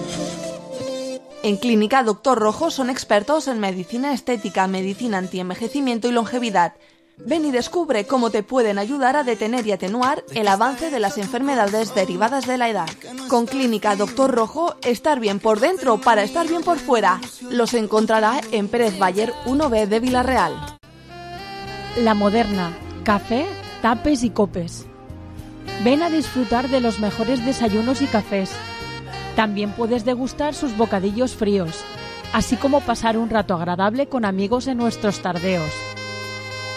En Clínica Dr. Rojo son expertos en medicina estética, medicina antienvejecimiento y longevidad. Ven y descubre cómo te pueden ayudar a detener y atenuar el avance de las enfermedades derivadas de la edad. Con Clínica Dr. Rojo, estar bien por dentro para estar bien por fuera. Los encontrará en Pérez Bayer 1B de Vila-real. La Moderna, café, tapes y copes. Ven a disfrutar de los mejores desayunos y cafés. También puedes degustar sus bocadillos fríos, así como pasar un rato agradable con amigos en nuestros tardeos.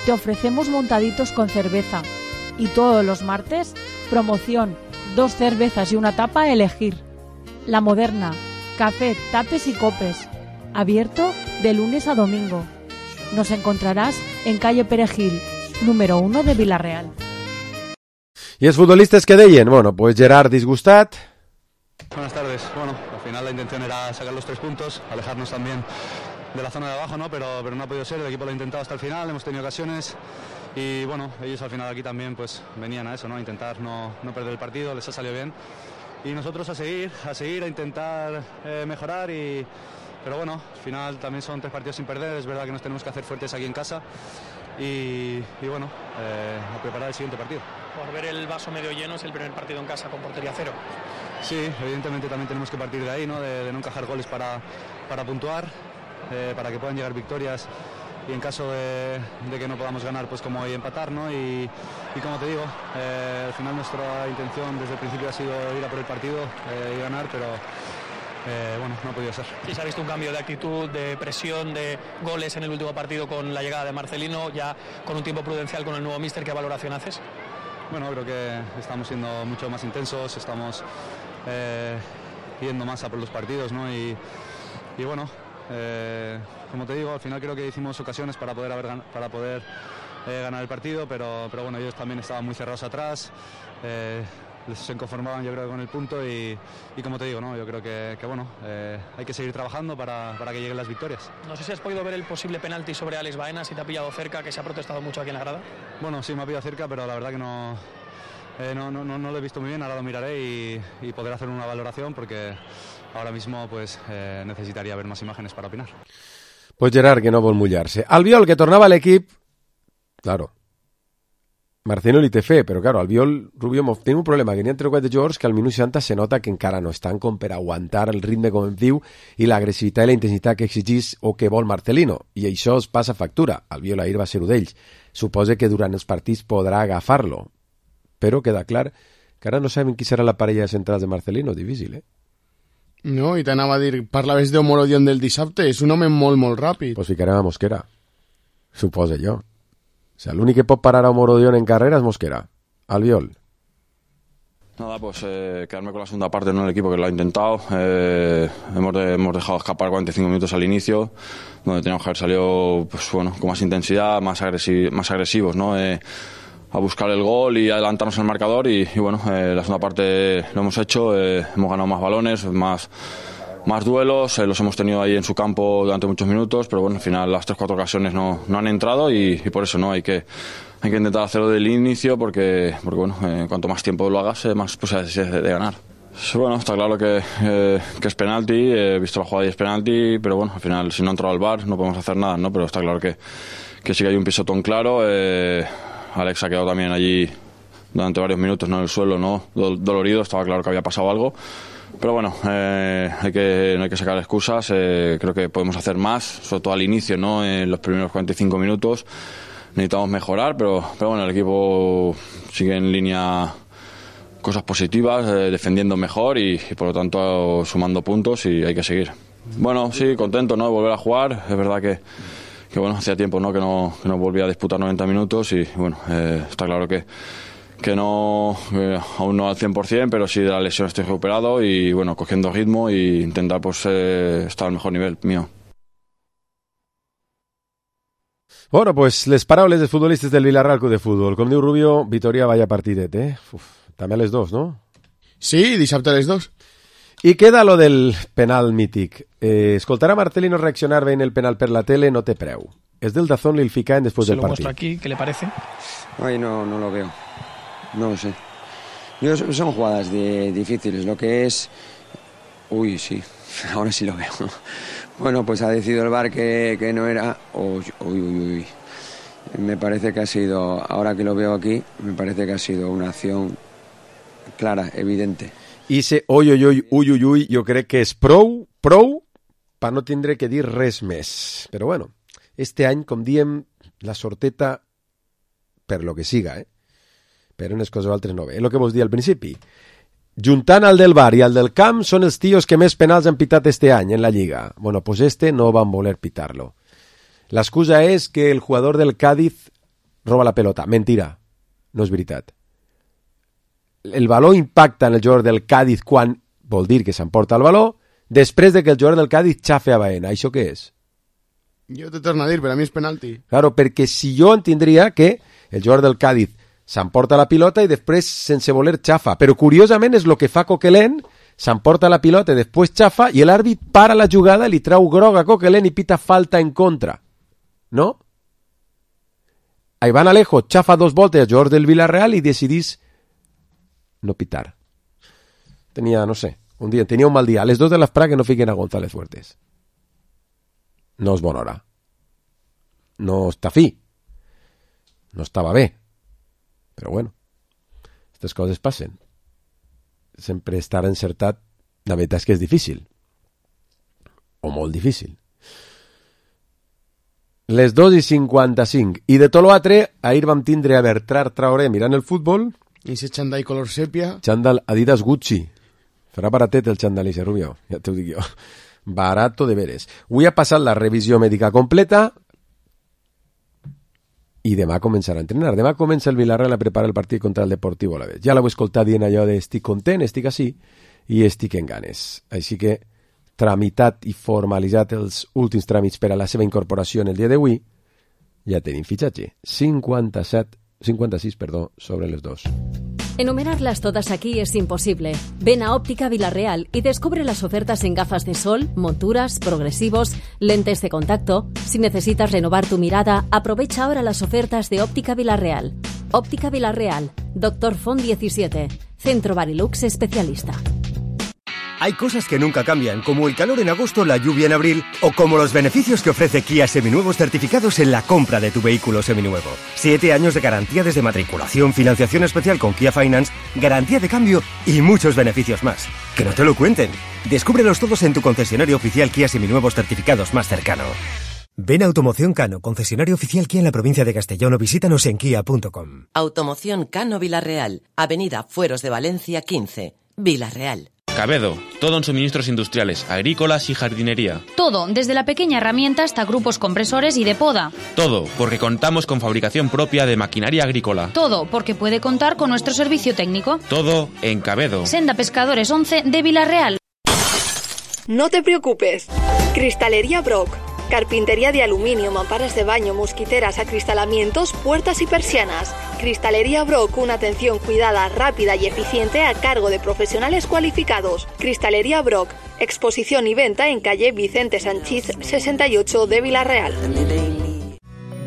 Te ofrecemos montaditos con cerveza y todos los martes, promoción, 2 cervezas y una tapa a elegir. La Moderna, café, tapes y copes. Abierto de lunes a domingo. Nos encontrarás en calle Perejil, número 1 de Vila-real. ¿Y los futbolistas que deien? Bueno, pues Gerard disgustat. Buenas tardes. Bueno, al final la intención era sacar los 3 puntos, alejarnos también de la zona de abajo, ¿no? Pero no ha podido ser, el equipo lo ha intentado hasta el final, hemos tenido ocasiones y bueno, ellos al final aquí también pues venían a eso, ¿no? A intentar no perder el partido, les ha salido bien y nosotros a seguir, a intentar mejorar pero bueno, al final también son 3 partidos sin perder, es verdad que nos tenemos que hacer fuertes aquí en casa y bueno, a preparar el siguiente partido. Por ver el vaso medio lleno, es el primer partido en casa con portería 0. Sí, evidentemente también tenemos que partir de ahí, ¿no? De no encajar goles para puntuar, para que puedan llegar victorias y en caso de que no podamos ganar, pues como hoy empatar, ¿no? Y como te digo, al final nuestra intención desde el principio ha sido ir a por el partido y ganar, pero bueno, no ha podido ser. Sí, se ha visto un cambio de actitud, de presión, de goles en el último partido con la llegada de Marcelino, ya con un tiempo prudencial con el nuevo míster. ¿Qué valoración haces? Bueno, creo que estamos siendo mucho más intensos, estamos yendo más a por los partidos, ¿no? Y bueno, como te digo, al final creo que hicimos ocasiones para poder ganar el partido, pero bueno, ellos también estaban muy cerrados atrás, se conformaban yo creo con el punto y como te digo, ¿no? Yo creo que bueno, hay que seguir trabajando para que lleguen las victorias. No sé si has podido ver el posible penalti sobre Alex Baena, si te ha pillado cerca, que se ha protestado mucho aquí en la grada. Bueno, sí me ha pillado cerca, pero la verdad que no lo he visto muy bien, ahora lo miraré y podré hacer una valoración porque ahora mismo pues necesitaría ver más imágenes para opinar. Pues Gerard, que no vol mullar-se. Albiol, que tornava a l'equip... Claro, Marcelino li té fe, però claro, Albiol, Rubio, té un problema, que n'hi ha 3 o 4 jugadors que al minut 60 se nota que encara no estan com per aguantar el ritme com em diu i l'agressivitat i la intensitat que exigís o que vol Marcelino, i això es passa factura. Albiol ahir va ser un d'ells. Suposa que durant els partits podrà agafar-lo, però queda clar que ara no sabem qui serà la parella de centrals de Marcelino, difícil, eh? No, i t'anava a dir, parlaves d'Omorodion del dissabte, és un home molt, molt ràpid. Pues ficarem a Mosquera, suposa jo. O sea, l'únic que pot parar a Omorodion en carrera es Mosquera. Albiol. Nada, pues quedarme con la segunda parte, ¿no? El equipo que lo ha intentado. Hemos dejado escapar 45 minutos al inicio, donde teníamos que haber salido, pues bueno, con más intensidad, más agresivos, ¿no? A buscar el gol y adelantarnos al marcador y bueno, la segunda parte lo hemos hecho, hemos ganado más balones, más duelos, los hemos tenido ahí en su campo durante muchos minutos, pero bueno, al final las 3-4 ocasiones no han entrado y por eso no hay que intentar hacerlo del inicio porque bueno, cuanto más tiempo lo hagas, más posibilidades de ganar. Bueno, está claro que es penalti, he visto la jugada y es penalti, pero bueno, al final si no ha entrado al VAR no podemos hacer nada, ¿no? Pero está claro que sí que hay un pisotón claro. Alex ha quedado también allí durante varios minutos, ¿no? En el suelo, ¿no? Dolorido, estaba claro que había pasado algo. Pero bueno, no hay que sacar excusas. Creo que podemos hacer más, sobre todo al inicio, ¿no? En los primeros 45 minutos necesitamos mejorar, pero bueno, el equipo sigue en línea cosas positivas, defendiendo mejor y por lo tanto sumando puntos y hay que seguir. Bueno, sí, contento, ¿no? De volver a jugar. Es verdad que bueno, hacía tiempo, ¿no? Que no volvía a disputar 90 minutos y bueno, está claro que aún no al 100%, pero sí de la lesión estoy recuperado y bueno, cogiendo ritmo e intentar pues estar al mejor nivel mío. Bueno, pues les paraules dels futbolistes del Villarreal Club de Futbol. Com diu Rubio, Vitoria vaya partidet, eh? També a les 2, no? Sí, dissabte a les 2. I queda lo del penal mític. Escoltar a Marcelino reaccionar veient el penal per la tele no té preu. És del Dazón i el ficaen després del partit. Se lo muestro aquí, ¿qué le parece? Ay, no lo veo. No lo sé. Son jugadas difíciles. Lo que es... Uy, sí. Ahora sí lo veo. Bueno, pues ha decidido el VAR que no era... Uy. Me parece que ha sido... Ahora que lo veo aquí, me parece que ha sido una acción clara, evidente. I se uy, jo crec que és prou per no tindre que dir res més. Però bueno, este any, com diem, la sorteta per lo que siga, però unes coses o altres no ve. És el que vos dir al principi. Juntant al del VAR i al del camp són els tios que més penals han pitat este any en la Lliga. Bueno, pues no van voler pitar-lo. L'excusa és que el jugador del Cádiz roba la pelota. Mentira, no és veritat. El valor impacta en el jugador del Cádiz quan vol dir que s'emporta el valor després de que el jugador del Cádiz xafe a Baena. Això què és? Jo te torno a dir, per a mi és penalti. Claro, perquè si jo entendria que el jugador del Cádiz s'emporta la pilota i després sense voler xafa, però curiosament és el que fa Coquelin, s'emporta la pilota i després xafa i l'àrbit para la jugada, li trau groc a Coquelin i pita falta en contra. No? A Iván Alejo xafa 2 voltes al jugador del Villarreal i decidís no pitar. Tenia, no sé, tenia un mal dia. A les 2 de l'esprà que no fiquen a González Fuertes. No és bona hora. No està fi. No estava bé. Però bueno, aquestes coses passen. sempre estar encertat, la veritat és que és difícil. O molt difícil. Les 2:55. I de tot l'altre, ahir vam tindre a Bertrand Traoré mirant el futbol. I ese xandall color sèpia. Xandall Adidas Gucci. Farà baratet el xandall i Rubio, ja t'ho dic jo. Barato de veres. Avui ha passat la revisió mèdica completa i demà començarà a entrenar. Demà comença el Villarreal a preparar el partit contra el Deportivo Alavés. Ja l'heu escoltat dient allò de estic content, estic així i estic en ganes. Així que tramitat i formalitzat els últims tràmits per a la seva incorporació en el dia d'avui, ja tenim fitxatge. 56 sobre les 2. Enumerarlas todas aquí es imposible. Ven a Óptica Villarreal y descubre las ofertas en gafas de sol, monturas, progresivos, lentes de contacto. Si necesitas renovar tu mirada, aprovecha ahora las ofertas de Óptica Villarreal. Óptica Villarreal, Dr. Font 17, Centro Barilux especialista. Hay cosas que nunca cambian, como el calor en agosto, la lluvia en abril, o como los beneficios que ofrece Kia Seminuevos certificados en la compra de tu vehículo seminuevo. 7 años de garantía desde matriculación, financiación especial con Kia Finance, garantía de cambio y muchos beneficios más. Que no te lo cuenten. Descúbrelos todos en tu concesionario oficial Kia Seminuevos certificados más cercano. Ven a Automoción Cano, concesionario oficial Kia en la provincia de Castellón, o visítanos en kia.com. Automoción Cano Villarreal, Avenida Fueros de Valencia 15, Villarreal. Cabedo, todo en suministros industriales, agrícolas y jardinería. Todo, desde la pequeña herramienta hasta grupos compresores y de poda. Todo, porque contamos con fabricación propia de maquinaria agrícola. Todo, porque puede contar con nuestro servicio técnico. Todo en Cabedo. Senda Pescadores 11 de Villarreal. No te preocupes. Cristalería Brock. Carpintería de aluminio, mamparas de baño, mosquiteras, acristalamientos, puertas y persianas. Cristalería Brock, una atención cuidada, rápida y eficiente a cargo de profesionales cualificados. Cristalería Brock, exposición y venta en calle Vicente Sanchís 68 de Villarreal.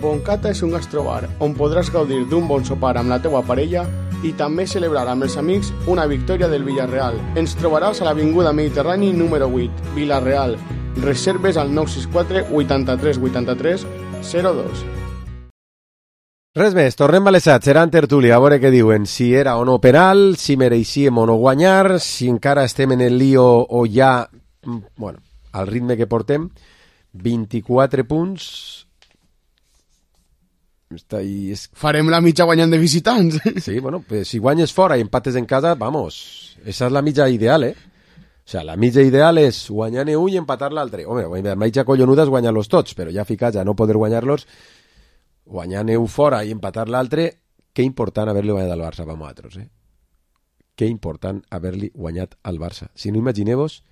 Boncata és un gastrobar on podràs gaudir d'un bon sopar amb la teua parella i també celebrar amb els amics una victòria del Villarreal. Ens trobaràs a l'Avinguda Mediterrani número 8, Villarreal. Reserves al 964 83 83 02. Res més, tornem a les 7, serà en tertúlia, a veure què diuen, si era o no penal, si mereixíem o no guanyar, si encara estem en el lío o ja, bueno, al ritme que portem, 24 punts. Farem la mitja guanyant de visitants. Sí, bueno, pues si guanyes fora i empates en casa, vamos, esa és la mitja ideal, O sea, la mitja ideal és guanyar-ne un i empatar l'altre. Home, la mitja collonuda és guanyar-los tots, però ja ficats a no poder guanyar-los, guanyar-ne un fora i empatar l'altre, que important haver-li guanyat al Barça per nosaltres, Que important haver-li guanyat al Barça. Si no, imagineu-vos,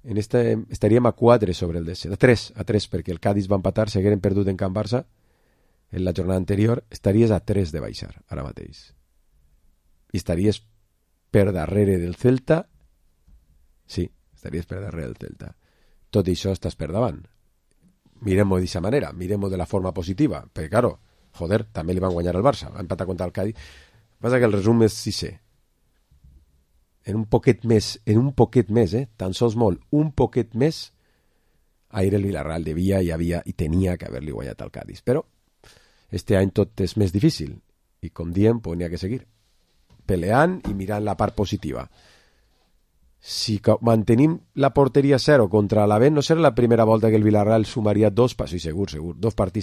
estaríem a 4 sobre el descens, a 3, perquè el Cádiz va empatar, s'hagueren perdut en Can Barça en la jornada anterior, estaries a 3 de baixar, ara mateix. I estaries per darrere del Celta. Sí, estaries per darrere del Celta. Tot això estàs per davant. Mirem-ho d'aquesta manera, mirem-ho de la forma positiva, perquè, claro, joder, també li van guanyar al Barça, va empatar contra el Cádiz. Passa que el resum és 6è. En un poquet més, tan sols molt, un poquet més, ahir el Villarreal devia i tenia que haver-li guanyat al Cádiz. Però este any tot és més difícil, i com diem, pues n'hi ha que seguir peleant i mirant la part positiva. Si mantenim la porteria 0 contra l'Alavés, no serà la primera volta que el Villarreal sumaria dos partits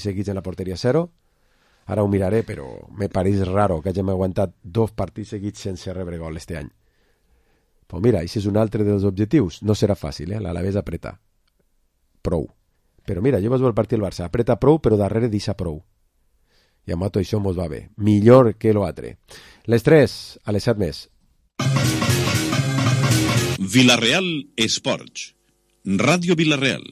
seguits en la porteria 0. Ara ho miraré, però me pareix raro que hàgim aguantat 2 partits seguits sense rebre gol este any. Pues mira, això és un altre dels objectius. No serà fàcil, l'Alavés apreta. Prou. Però mira, jo vaig veure el partit del Barça. Apreta prou, però darrere deixa prou. I amb tot això mos va bé. Millor que l'altre. Les 3, a les 7 més. Villarreal Esports. Ràdio Villarreal.